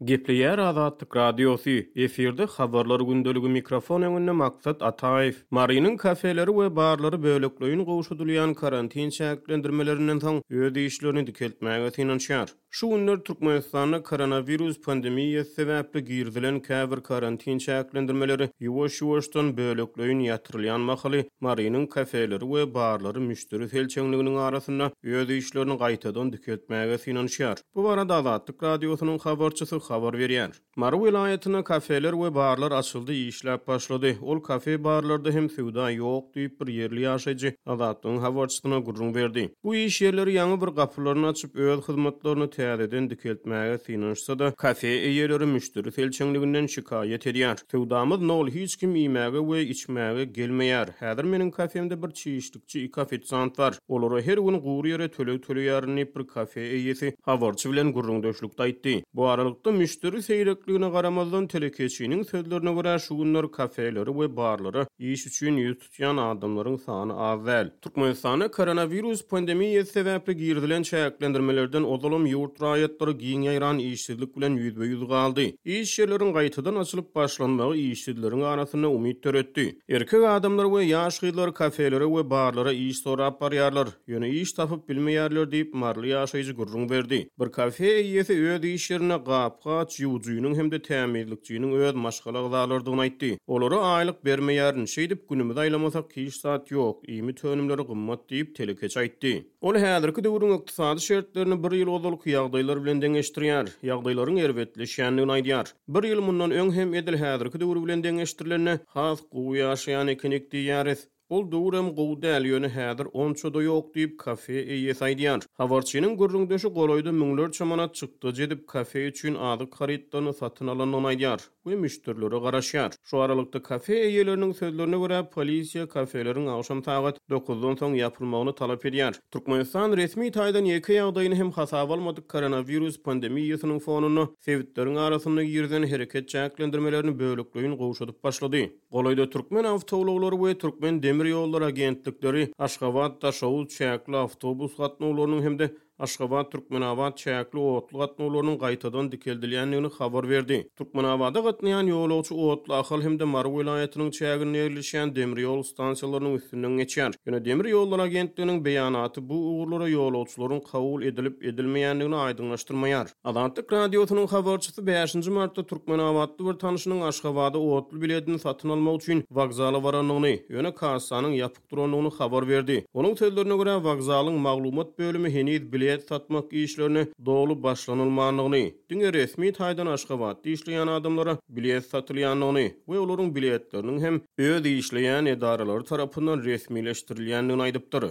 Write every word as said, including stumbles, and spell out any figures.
Gepleýär Azatlyk Radiosy, efirde Habarlar gündeligi, mikrofon öňünde Maksat Ataýew. Marynyň kafeleri we barlary bölekleýin gowşadylýan karantin çäklendirmelerinden soň öz işlerini dikeltmäge synanyşýar. Şu günler Türkmenistanda koronawirus pandemiýasy sebäpli girizilen käbir karantin çäklendirmeleri ýuwaş-ýuwaşdan bölekleýin ýatyrylýan mahaly Marynyň kafeleri we barlary müşderi selçeňliginiň arasynda öz işlerini gaýtadan dikeltmäge synanyşýar. Bu barada Azatlyk Radiosynyň habarçysy habar berýär. Mary welaýatynda kafeler we barlar açyldy, işläp başlady. Ol kafe barlarda hem söwda ýok diýip, bir ýerli ýaşaýjy Azatlygyň habarçysyna gürrüň berdi. Bu iş ýerleri ýaňy bir gapylaryny açyp, öz hyzmatlaryny täzeden dikeltmäge synanyşsa-da, kafe eýeleri müşderi selçeňliginden şikaýat edýär. Söwdamyz nol, hiç kim iýmäge we içmäge gelmeýär. Häzir meniň kafemde bir çişlikçi, iki ofisiant bar. Olara her gün gury ýere töleg töleýärin diýip, bir kafe eýesi habarçy bilen gürrüňdeşlikde aýtdy. Bu aralykda müşderi seýrekligine garamazdan, telekeçiniň sözlerine görä, şu günler kafeleri we barlara iş üçin ýüz tutýan adamlaryň sany az däl. Türkmenistanda koronawirus pandemiýasy sebäpli girizilen çäklendirmelerden ozalam ýurt raýatlary giň ýaýran işsizlik bilen ýüzbe-ýüz galdy. Iş ýerleriň gaýtadan açylyp başlanmagy işsizleriň arasynda umyt döretdi. Erkek adamlar we ýaş gyzlar kafelere we barlara iş sorap barýarlar, ýöne iş tapyp bilmeýärler diýip, maryly ýaşaýjy gürrüň berdi. Bir kafe eýesi öz iş ýerinde gap-gaç ýuwujynyň hem-de tämizlikçiniň öz maşgala agzalarydygyny aýtdy. Olara aýlyk bermeýärin, şeýdip günümizi aýlamasak hiç zat ýok, iýmit önümleri gymmat diýip, telekeçi aýtdy. Ol häzirki döwrüň ykdysady şertlerini bir ýyl ozalky ýagdaýlar bilen deňeşdirýär, ýagdaýlaryň erbetleşýändigini aýdýar. Bir ýyl mundan öň hem edil häzirki döwür bilen deňeşdirilende has gowy ýaşaýan ekenik diýýäris. Ol döwürem gowy däl, ýöne häzir onça-da ýok diýip, kafe eýesi aýdýar. Habarçynyň gürrüňdeşi golaýda müňlerçe manat çykdajy edip, kafe üçin azyk harytlaryny satyn alandygyny aýdýar we müşderilere garaşýar. Şu aralykda kafe eýeleriniň sözlerine görä, polisiýa kafeleriň agşam sagat dokuzdan soň ýapylmagyny talap edýär. Türkmenistan resmi taýdan ýeke ýagdaýyny hem hasaba almadyk koronawirus pandemiýasynyň fonunda sebitleriň arasynda girizen hereket çäklendirmelerini bölekleýin gowşadyp başlady. Golaýda Türkmen awtoulaglary we Türkmen demir ýollary agentlikleri Aşgabat Daşoguz çäkli awtobus gatnawlarynyň hem-de Aşgabat Türkmenabat çäkli otly gatnawlarynyň gaýtadan dikeldilýändigini habar berdi. Türkmenabada gatnaýan ýolagçy otly Ahal hem-de Mary welaýatynyň çäginde ýerleşýän demir ýol stansiýalarynyň üstünden geçýär. Ýöne demir ýollar agentliginiň beýanaty bu ugurlara ýolagçylaryň kabul edilip edilmeýändigini aýdyňlaşdyrmaýar. Azatlyk Radiosynyň habarçysy bäşinji martda Türkmenabatly bir tanşynyň Aşgabada otly biletini satyn almak üçin wokzala barandygyny, ýöne kassanyň ýapyk durandygyny habar berdi. Onuň sözlerine görä, wokzalyň maglumat bölümi heniz bilet satmak işlerine doly başlanylmandygyny, diňe resmi taýdan Aşgabatda işleýän adamlara bilet satylýandygyny we olaryň biletleriniň hem öz işleýän edaralary tarapyndan resmileşdirilýändigini aýdypdyr.